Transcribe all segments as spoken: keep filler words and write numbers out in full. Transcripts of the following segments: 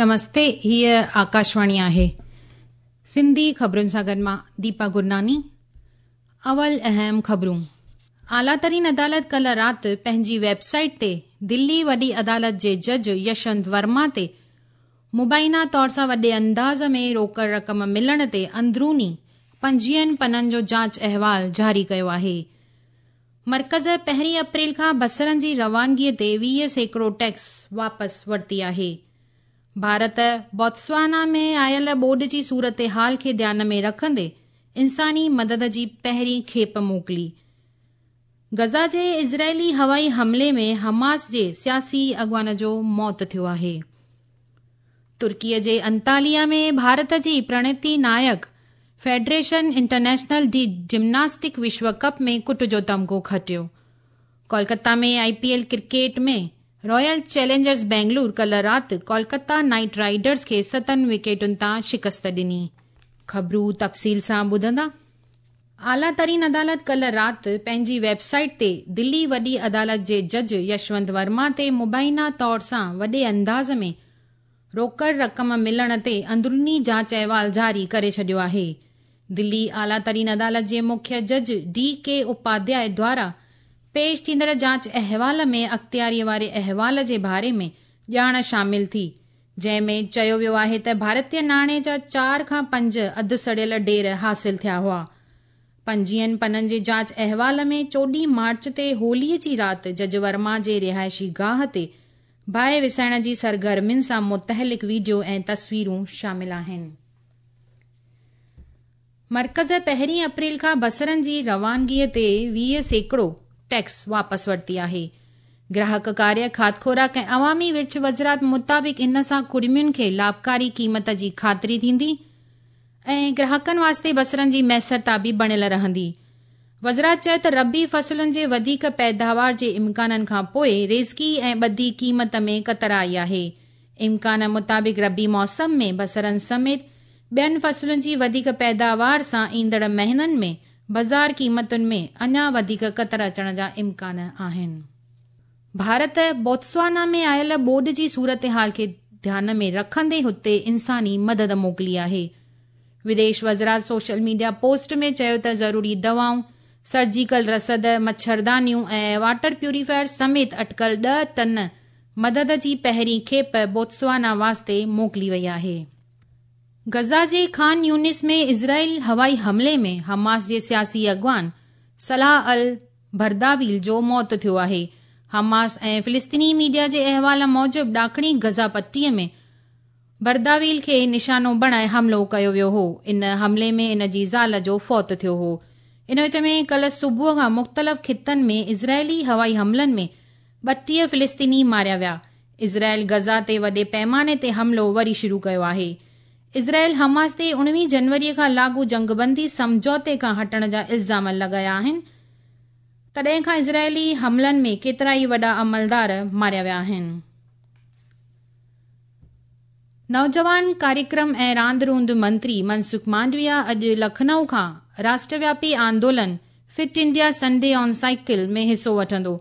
نمستي، هيء آڪاشواڻي آهي. سنڌي خبرن سان گڏ مان ديپا گرناني. اول اهم خبرون. اعليٰ ترين عدالت ڪلهه رات پنهنجي ويب سائيٽ تي دلي وڏي عدالت جي جج يشونت ورما تي مبينا طور سان وڏي انداز ۾ روڪڙ رقم ملڻ تي اندروني پنجويهن پنن جو جاچ احوال جاري ڪيو آهي. مرڪز پهرين اپريل کان بصرن جي روانگيء تي ويهه سيڪڙو ٽيڪس واپس ورتي آهي. ڀارت بوتسوانا ۾ آيل ٻوڏ جي صورتحال کي ڌيان ۾ رکندي انساني مدد جي پهرين کيپ موڪلي. غزه جي اسرائيلي هوائي حملي ۾ حماس جي سياسي اڳواڻ جو موت ٿيو آهي. ترڪيء جي انتاليا ۾ ڀارت جي پرڻتي نائڪ فيڊريشن انٽرنيشنل ڊي جمناسٽڪ وشو ڪپ ۾ ڪٽ جو تمغو کٽيو. Kolkata ۾ I P L cricket ۾ Royal Challengers Bangalore ڪلهه رات ڪولڪتا نائيٽ رائيڊرز کي ستن وڪيٽن تان شڪست ڏني. خبرون تفصيل سان ٻڌندا. اعليٰ ترين عدالت ڪلهه رات پنهنجي ويب سائيٽ تي دلي وڏي عدالت جي جج يشونت ورما تي مبينا طور سان وڏي انداز ۾ روڪڙ رقم ملڻ تي اندروني جاچ احوال جاري ڪري ڇڏيو آهي. دلي اعليٰ ترين عدالت جي مکيه جج ڊي ڪي اپاڌياء دوارا پيش ٿيندڙ جاچ احوال ۾ اختياريء واري احوال جي باري ۾ ڄاڻ شامل ٿي، جنهن ۾ چيو ويو آهي ته ڀارتيه ناڻي جا چار کان پنج اڌ سڙيل ڍير حاصل ٿيا هئا. پنجويهن پنن جي جاچ احوال ۾ چوڏهين مارچ تي هوليء جي رات جج ورما جي رهائشي گاهه تي باهه وسائڻ جي سرگرمين سان متعلق وڊيو ۽ تصويرون شامل آهن. مرڪز پهرين اپريل کان بصرن جي روانگيء تي ويهه سيڪڙو ٽيڪس واپس ورتي آهي. گراهڪ ڪاريه، کاڌ خوراڪ ۽ عوامي ورڇ وزارت مطابق ان سان ڪڙمين کي لاڀڪاري قيمت جي خاطري ٿيندي ۽ گراهڪن واسطي بصرن جي ميسرتا به بڻيل رهندي. وزارت چيو ته ربيع فصلن جي وڌيڪ پيداوار جي امڪانن کان پوءِ ريزڪي ۽ ٻڌي قيمت ۾ ڪتر آئي آهي. امڪان مطابق ربيع موسم ۾ بصرن سميت ٻين فصلن جي وڌيڪ پيداوار سان ايندڙ مهينن ۾ بازار قيمتن ۾ اڃا وڌيڪ ڪتر اچڻ جا امڪان آهن. ڀارت بوتسوانا ۾ آيل ٻوڏ جي صورتحال کي ڌيان ۾ رکندي هتي انساني مدد موڪلي آهي. وديش وزارت سوشل ميڊيا پوسٽ ۾ چيو ته ضروري دوائون، سرجيڪل رسد، مڇردانيون ۽ واٽر پيوريفائر سميت اٽڪل ڏهه ٽن مدد جي پهرين کيپ بوتسوانا واسطي موڪلي وئي آهي. غزه جي خان يونس ۾ اسرائيل هوائي حملي ۾ حماس جي سياسي اڳواڻ صلاح ال برداويل جو موت ٿيو آهي. حماس ۽ فلسطيني ميڊيا جي احوال موجب ڏاکڻي غزه پٽيء ۾ برداويل کي نشانو بڻائي حملو ڪيو ويو هو. ان حملي ۾ ان جي زال جو فوت ٿيو هو. ان وچ ۾ ڪلهه صبح کان مختلف خطن ۾ اسرائيلي هوائي حملن ۾ ٻٽيهه فلسطيني ماريا ويا. اسرائيل غزه تي وڏي پيماني تي حملو وري شروع ڪيو آهي. اسرائيل حماس تي اڻويهه جنوريء کان لاڳو جنگبندي سمجهوتي کان هٽڻ جا الزام لڳايا آهن. تڏهن کان اسرائيلي حملن ۾ ڪيترائي وڏا عملدار ماريا ويا آهن. نوجوان ڪاريڪرم ۽ راند روند منتري منسک مانڊويا اڄ لکنؤ کان راشٽروياپي آندولن Fit India Sunday on Cycle ۾ حصو وٺندو.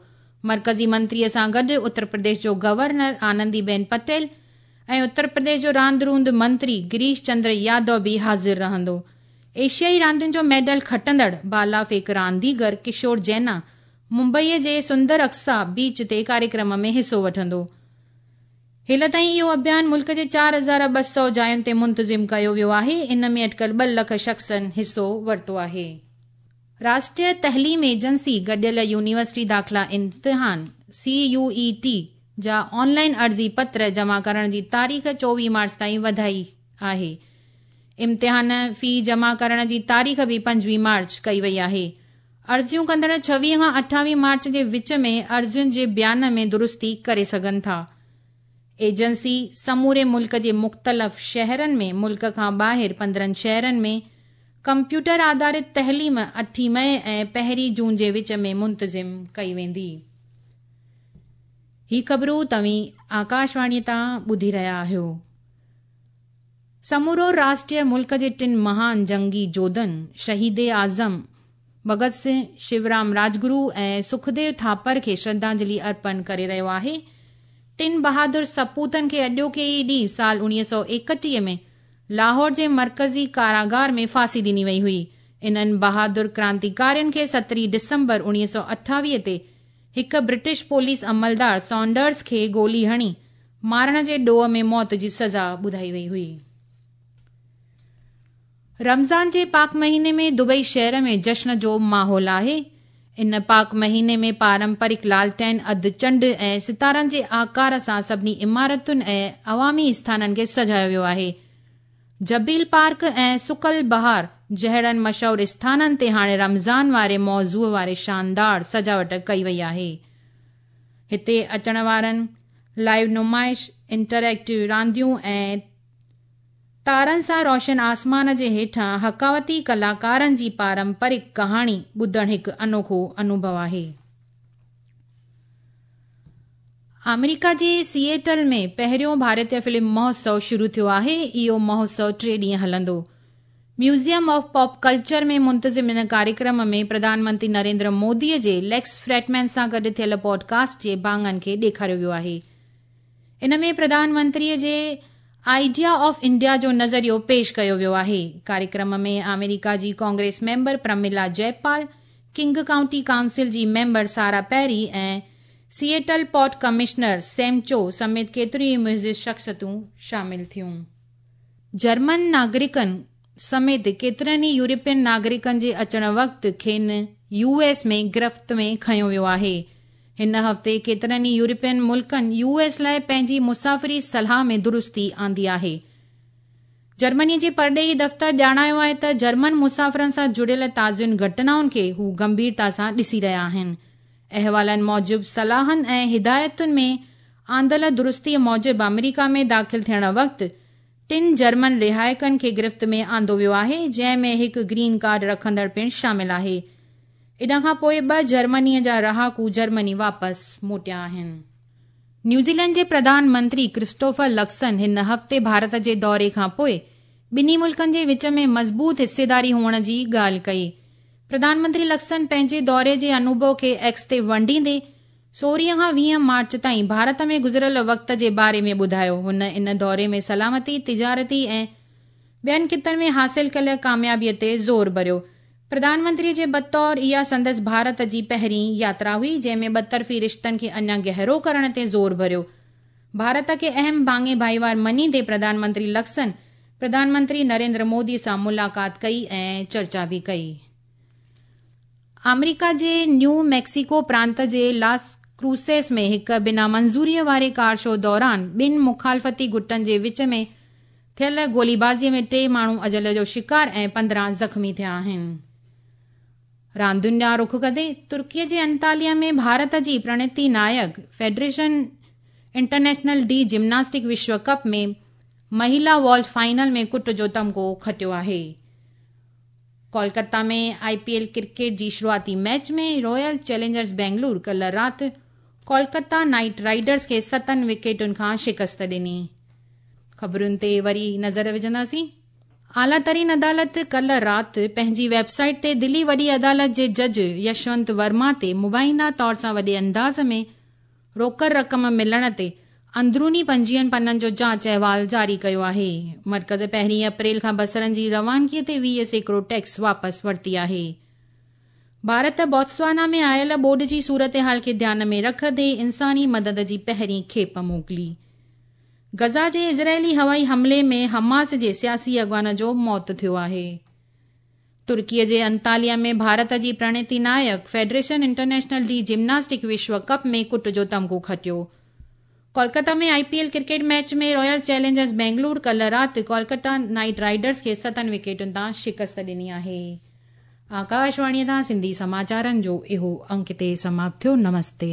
مرڪزي منتريء سان گڏ اتر پرديش جو گورنر آنندي بين پٽيل ۽ اتر پرديش جو راند روند منتري گريش چندر يادو به حاضر رهندو. ايشيائي راندين جو ميڊل کٽندڙ بالا ڦيڪ رانديگر ڪشور جينا ممبئيء جي سندر اقصيٰ بيچ تي ڪاريڪرم ۾ حصو وٺندو. هيل تائين اهو اڀيان ملڪ جي چار هزار ٻه سؤ جاين تي منتظم ڪيو ويو آهي. ان ۾ اٽڪل ٻه لک شخصن حصو ورتو آهي. راشٽريه تعليم ايجنسي گڏيل يونيورسٽي داخلا امتحان سي يو اي ٽي جا آنلائن عرضي پتر جمع ڪرڻ جي تاريخ چوويهه مارچ تائين وڌائي آهي. امتحان في جمع ڪرڻ جي تاريخ به پنجويهه مارچ ڪئي وئي آهي. عرضيون ڪندڙ ڇويهه کان اٺاويهه مارچ جي وچ ۾ عرضين جي بيان ۾ درستي ڪري سگهن ٿا. ايجنسي سموري ملڪ جي مختلف شهرن ۾ ملڪ کان ٻاهر پندرهن شهرن ۾ ڪمپيوٽر آڌارت تعليم اٺين مئي ۽ پهرين جون جي وچ ۾ منتظم ڪئي ويندي. هي خبرون توهين آڪاشواڻيء تان ٻڌي رهيا آهيو. سمورو راشٽر ملڪ جي ٽن مهان جنگي جوڌن شهيد اعظم ڀڳت سنگهه، شيورام راجگرو ۽ سکديو ٿاپر کي شرڌانجلي ارپڻ ڪري رهيو آهي. ٽن بهادر سپوتن کي اڄوڪي ئي ڏينهن سال اڻويهه سؤ ايڪٽيهه ۾ لاهور جي مرڪزي ڪاراگار ۾ ڦاسي ڏني وئي هئي. انهن بهادر ڪرانتيڪارين کي سترهين ڊسمبر اڻويهه سؤ اٺاويهه تي هڪ برٽش پوليس عملدار سانڊرز کي گولي هڻي مارڻ جي ڏوهه ۾ موت جي سزا ٻڌائي وئي هئي. رمضان جي پاڪ مهيني ۾ دبئي شهر ۾ جشن جو ماحول آهي. ان پاڪ مهيني ۾ پارمپرڪ لالٽين، اڌ چنڊ ۽ ستارن جي آڪار سان سڀني عمارتن ۽ عوامي اسٿانن کي سجايو ويو آهي. جبيل پارڪ ۽ سوق البهار جهڙن مشهور اسٿانن تي هاڻي رمضان واري موضوع واري شاندار سجاوٽ ڪئي وئي آهي. هتي اچڻ وارن لائيو نمائش، انٽريڪٽو رانديون ۽ تارن سان روشن آسمان جي هيٺان حڪاوتي ڪلاڪارن جي پارمپرڪ ڪهاڻي ٻڌڻ هڪ انوکو انوڀو آهي. آمريڪا جي سيئٽل ۾ پهريون ڀارتيه فلم مهوتسو شروع ٿيو آهي. اهو مهوتسو ٽي ڏينهن هلندو. ميوزيم آف پاپ ڪلچر ۾ منتظم ان ڪاريڪرم ۾ پرڌان منتري نريندر مودي جي ليڪس فريڊمين سان گڏ ٿيل پوڊڪاسٽ جي ڀاڱن کي ڏيکاريو ويو آهي. ان ۾ پرڌان منتري جي آئيڊيا آف انڊيا جو نظريو پيش ڪيو ويو آهي. ڪاريڪرم ۾ آمريڪا جي Congress member Pramila Jayapal, King County Council جي ميمبر سارا پيري ۽ Seattle port commissioner Sam Chu سميت ڪيتريون ئي معزز شخصيتون شامل ٿيون. جرمن ناگرڪن سميت ڪيترن ئي يورپين ناگرڪن جي اچڻ وقت کين يو ايس ۾ گرفت ۾ کنيو ويو آهي. هن هفتي ڪيترن ئي يورپين ملڪن يو ايس لاء پنهنجي مسافري صلاح ۾ درستي آندي آهي. جرمني جي پرڏيهي دفتر ڄاڻايو آهي ته جرمن مسافرن سان جڙيل تازين گهٽنائن کي هو گنڀيرتا سان ڏسي رهيا آهن. احوالن موجب صلاحن ۽ هدايتن ۾ آندل درستي موجب آمريڪا ۾ داخل ٿيڻ وقت ٽن جرمن رهائڪن کي گرفت ۾ آندو ويو آهي، جنهن ۾ هڪ گرين ڪارڊ رکندڙ پڻ شامل آهي. ان کان پوءِ ٻه جرمني جا رهاڪو جرمني واپس موٽيا آهن. نيوزيلينڊ جي پرڌان منتري ڪرسٽوفر لڪسن هن هفتي ڀارت جي دوري کان پوءِ ٻنهي ملڪن جي وچ ۾ مضبوط حصيداري هئڻ جي ڳالهه ڪئي. پرڌان منتري لڪسن پنهنجي دوري جي انوڀو کي ايڪس تي ونڊيندي سورهين کان ويهه مارچ تائين ڀارت ۾ گذريل وقت جي باري ۾ ٻڌايو. هن ان دوري ۾ سلامتي، تجارتي ۽ ٻين خطن ۾ حاصل ڪيل ڪاميابي تي زور ڀريو. پرڌان منتري جي بطور اها سندس ڀارت جي پهرين ياترا هئي، جنهن ۾ ٻطرفي رشتن کي اڃا گهرو ڪرڻ تي زور ڀريو. ڀارت کي اهم ڀاڱي ڀائيوار مڃيندي پرڌان منتري لڪسن پرڌان منتري نريندر مودي سان ملاقات ڪئي ۽ چرچا به ڪئي. آمريڪا جي نيو ميڪسيڪو پرانت جي لاس ڪروسيس ۾ هڪ بنا منظوريءَ واري ڪار شو دوران ٻن مخالفتي گٽن جي وچ ۾ ٿيل گوليبازيءَ ۾ ٽي ماڻهو اجل جو شڪار ۽ پندرهن زخمي ٿيا آهن. راندين ڏانهن رخ ڪندي ترڪيءَ جي انتاليا ۾ ڀارت جي Pranati Nayak federation international de gymnastic وشو ڪپ ۾ مهلا والٽ فائنل ۾ ڪٽ جو تمغو کٽيو آهي. Kolkata ۾ I P L cricket جي شروعاتي ميچ ۾ رائل چئلينجرز بينگلور ڪلهه رات ڪولڪتا نائيٽ رائيڊرز کي ستن وڪيٽن کان شڪست ڏني. خبرن تي وري نظر وجهنداسين. اعليٰ ترين عدالت ڪلهه رات پنهنجي ويب سائيٽ تي دلي وڏي عدالت جي جج يشونت ورما تي مبينا طور سان وڏي انداز ۾ روڪڙ رقم ملڻ تي اندروني پنجويهن پنن جو جاچ احوال جاري ڪيو آهي. مرڪز پهرين اپريل کان بصرن جي روانگيءَ تي ويهه سيڪڙو ٽيڪس واپس ورتي آهي. ڀارت بوتسوانا ۾ آيل ٻوڏ جي صورتحال کي ڌيان ۾ رکندي انساني مدد جي پهرين کيپ موڪلي. غزه جي اسرائيلي هوائي حملي ۾ حماس جي سياسي اڳواڻ جو موت ٿيو آهي. ترڪيءَ جي انتاليا ۾ ڀارت جي Pranati Nayak federation international de gymnastic وشو ڪپ ۾ ڪٽ جو تمغو کٽيو. Kolkata ۾ I P L cricket match ۾ Royal Challengers Bangalore ڪلهه رات ڪولڪتا نائيٽ رائيڊرز کي ستن وڪيٽن تان شڪست ڏني آهي. آڪاشواڻيءَ تان سنڌي سماچارن جو اهو انڪ هتي سماپت ٿيو. نمستي.